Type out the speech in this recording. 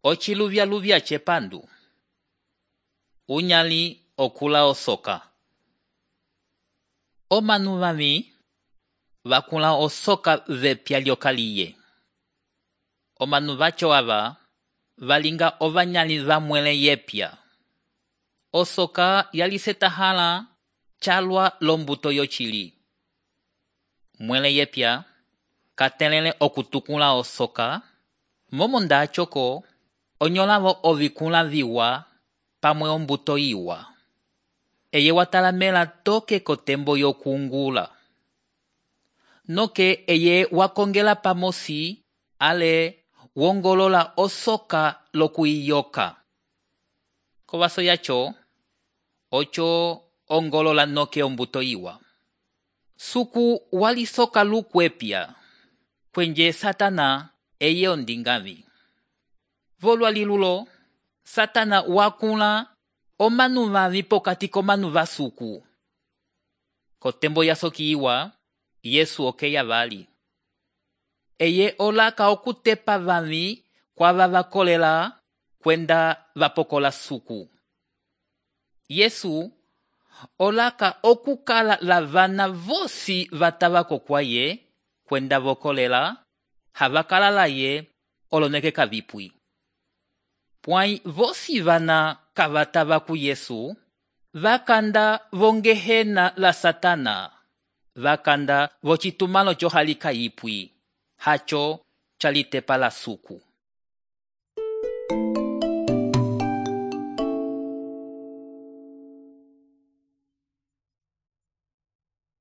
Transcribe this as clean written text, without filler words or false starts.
Ociluvyaluvya cepandu. Unyali okula osoka. Omanu vami vakula osoka vepya lyokaliye. Omanu vaco ava valinga ovanyali vamwele yepya. Osoka yalisetahala calwa lombuto yocili. Mwele yepya katelele okutukula osoka, momonda acoko onyolavo ovikula viwa pamwe ombuto iwa. Eye watalamela toke kotembo yokungula. Noke eye wakongela pamosi ale wongolola osoka lokuiyoka. Kovaso yaco, ocho ongolola noke ombuto iwa. Suku walisoka lukwepya, kwenje Satana eye ondingavi. Volwa lilulo, Satana wakula omanu vavi pokati komanu vasuku. Kotembo yasoki iwa, Yesu okeya vali. Eye olaka okutepa vavi kwava vakolela kwenda vapokola suku. Yesu olaka okukala lavana vosi vatavako kwaye kwenda vokolela havakala laye oloneke kavipwi. Pwai vosi vana kavatava ku Yesu vakanda vongehena la Satana, vakanda vocitumalo cohalika ipwi, haco calitepa la suku.